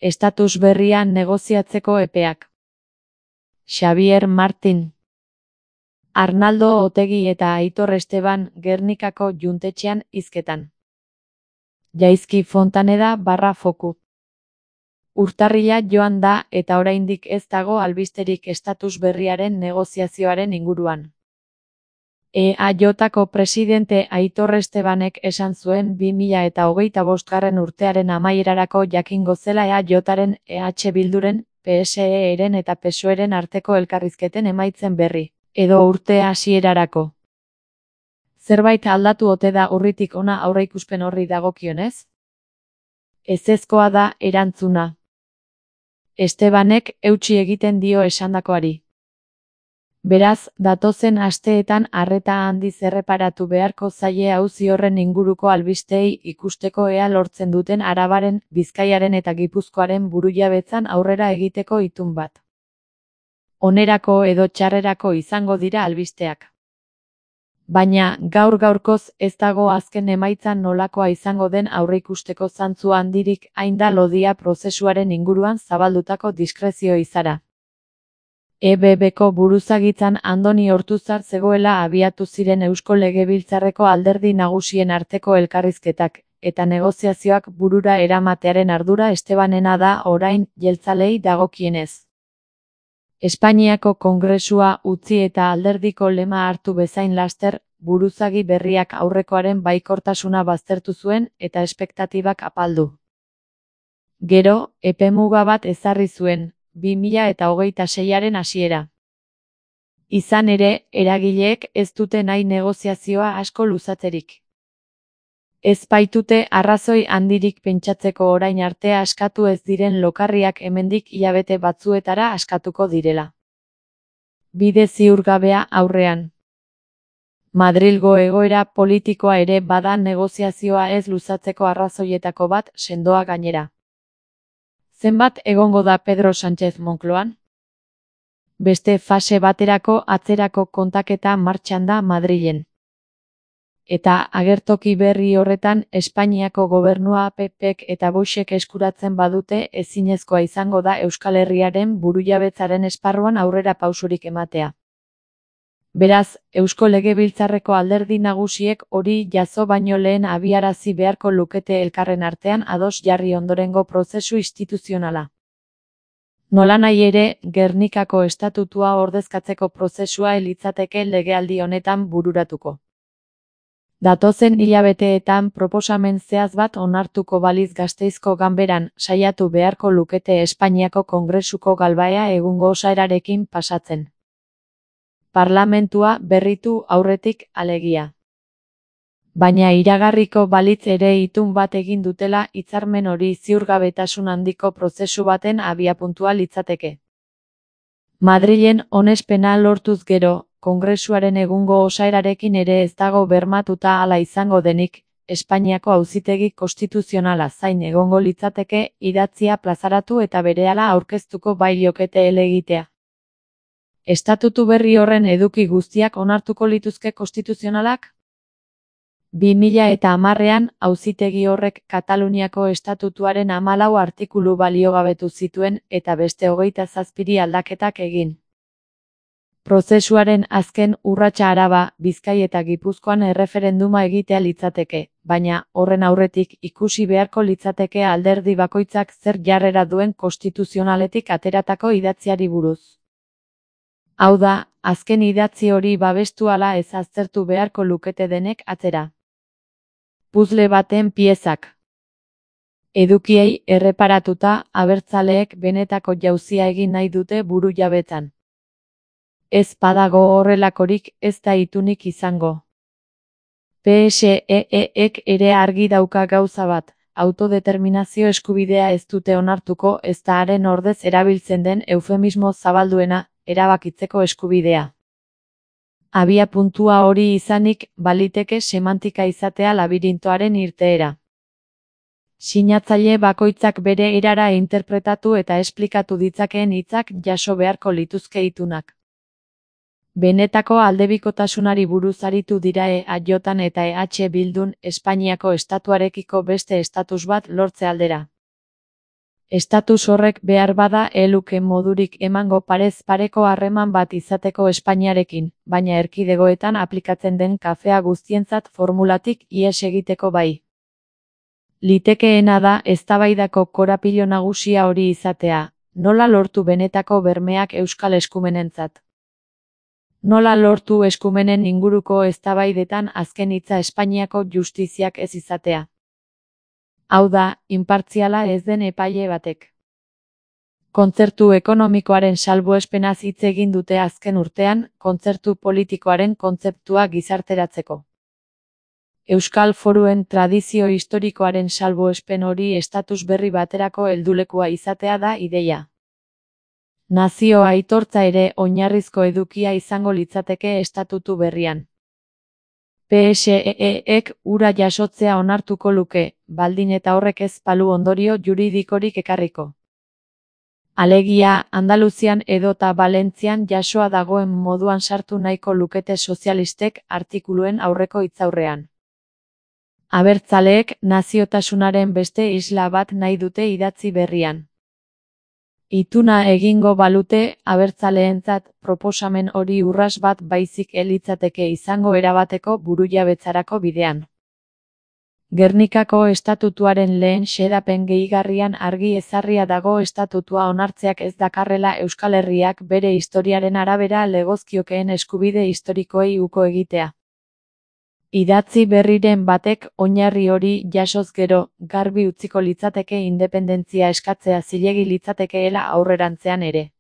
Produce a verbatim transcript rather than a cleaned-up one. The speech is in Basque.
Estatus berria negoziatzeko epeak. Xabier Martin. Arnaldo Otegi eta Aitor Esteban Gernikako Juntetxean hizketan. Jaizki Fontaneda barra foku. Urtarrila joan da eta oraindik ez dago albisterik estatus berriaren negoziazioaren inguruan. E A Jko presidente Aitor Estebanek esan zuen bi mila eta hogeita bostgarren urtearen amaierarako jakingo zela E A Jaren, E H Bilduren, P S E-ren eta P S O E-ren arteko elkarrizketen emaitzen berri, edo urte hasierarako. Zerbait aldatu ote da urritik hona aurreikuspen horri dagokionez? Ezezkoa da erantzuna. Estebanek eutsi egiten dio esandakoari. Beraz, datozen asteetan arreta handiz erreparatu beharko zaie auzi horren inguruko albisteei ikusteko ea lortzen duten Arabaren, Bizkaiaren eta Gipuzkoaren burujabetzan aurrera egiteko itun bat. Onerako edo txarrerako izango dira albisteak. Baina, gaur gaurkoz ez dago azken emaitzan nolakoa izango den aurreikusteko zantzu handirik hain da lodia prozesuaren inguruan zabaldutako diskrezio izara. E B Bko buruzagitzan Andoni Ortuzar zegoela abiatu ziren Eusko Legebiltzarreko alderdi nagusien arteko elkarrizketak, eta negoziazioak burura eramatearen ardura Estebanena da orain jeltzalei dagokienez. Espainiako Kongresua utzi eta alderdiko lema hartu bezain laster, buruzagi berriak aurrekoaren baikortasuna baztertu zuen eta espektatibak apaldu. Gero, epemuga bat ezarri zuen, bi mila eta hogeita seiaren hasiera. Izan ere, eragileek ez dute nahi negoziazioa asko luzatzerik. Ez baitute arrazoi handirik pentsatzeko orain arte askatu ez diren lokarriak hemendik hilabete batzuetara askatuko direla. Bide ziurgabea aurrean. Madrilgo egoera politikoa ere bada negoziazioa ez luzatzeko arrazoietako bat sendoa gainera. Zenbat egongo da Pedro Sánchez Moncloan? Beste fase baterako atzerako kontaketa martxan da Madrilen. Eta agertoki berri horretan Espainiako gobernua P Pek eta Voxek eskuratzen badute ezinezkoa izango da Euskal Herriaren burujabetzaren esparruan aurrera pausurik ematea. Beraz, Eusko Legebiltzarreko alderdi nagusiek hori jazo baino lehen abiarazi beharko lukete elkarren artean ados jarri ondorengo prozesu instituzionala. Nolanahi ere, Gernikako estatutua ordezkatzeko prozesua litzateke legealdi honetan bururatuko. Datozen hilabeteetan proposamen zehatz bat onartuko baliz Gasteizko Ganberan saiatu beharko lukete Espainiako Kongresuko galbaea egungo osaerarekin pasatzen. Parlamentua berritu aurretik alegia. Baina iragarriko balitz ere itun bat egin dutela hitzarmen hori ziurgabetasun handiko prozesu baten abiapuntua litzateke. Madrilen onespena lortuz gero, Kongresuaren egungo osaerarekin ere ez dago bermatuta hala izango denik, Espainiako Auzitegi Konstituzionala zain egongo litzateke idatzia plazaratu eta berehala aurkeztuko bai liokete helegitea. Estatutu berri horren eduki guztiak onartuko lituzke konstituzionalak? bi mila eta hamarrean auzitegi horrek Kataluniako estatutuaren hamalau artikulu baliogabetu zituen eta beste hogeita zazpiri aldaketak egin. Prozesuaren azken urratsa Araba, Bizkai eta Gipuzkoan erreferenduma egitea litzateke, baina horren aurretik ikusi beharko litzateke alderdi bakoitzak zer jarrera duen konstituzionaletik ateratako idatziari buruz. Hau da, azken idatzi hori babestu ala ez aztertu beharko lukete denek atzera. Puzzle baten piezak. Edukiei erreparatuta, abertzaleek benetako jauzia egin nahi dute burujabetzan. Ez badago horrelakorik ez da itunik izango. P S E-ek ere argi dauka gauza bat, autodeterminazio eskubidea ez dute onartuko ez da haren ordez erabiltzen den eufemismo zabalduena, erabakitzeko eskubidea. Abia puntua hori izanik, baliteke semantika izatea labirintoaren irteera. Sinatzaile bakoitzak bere erara interpretatu eta esplikatu ditzakeen hitzak jaso beharko lituzke itunak. Benetako aldebikotasunari buruz aritu dira E A Jan eta E H Bildun Espainiako estatuarekiko beste estatus bat lortze aldera. Estatus horrek behar bada eluke modurik emango parez pareko harreman bat izateko Espainiarekin, baina erkidegoetan aplikatzen den kafea guztientzat formulatik ihes egiteko bai. Litekeena da eztabaidako korapilo nagusia hori izatea, nola lortu benetako bermeak euskal eskumenentzat. Nola lortu eskumenen inguruko eztabaidetan azken hitza Espainiako justiziak ez izatea. Hau da, inpartziala ez den epaile batek. Kontzertu ekonomikoaren salbuespenaz hitz egin dute azken urtean, kontzertu politikoaren kontzeptua gizarteratzeko. Euskal foruen tradizio historikoaren salbuespen hori estatus berri baterako heldulekua izatea da ideia. Nazio aitortza ere oinarrizko edukia izango litzateke estatutu berrian. P S E E-ek hura jasotzea onartuko luke, baldin eta horrek ez balu ondorio juridikorik ekarriko. Alegia, Andaluzian edota Valentzian jasoa dagoen moduan sartu nahiko lukete sozialistek artikuluen aurreko hitzaurrean. Abertzaleek naziotasunaren beste isla bat nahi dute idatzi berrian. Ituna egingo balute, abertzaleentzat proposamen hori urras bat baizik elitzateke izango erabateko burujabetzarako bidean. Gernikako estatutuaren lehen xedapen gehigarrian argi ezarria dago estatutua onartzeak ez dakarrela Euskal Herriak bere historiaren arabera legozkiokeen eskubide historikoei uko egitea. Idatzi berriren batek oinarri hori jasoz gero, garbi utziko litzateke independentzia eskatzea zilegi litzatekeela aurrerantzean ere.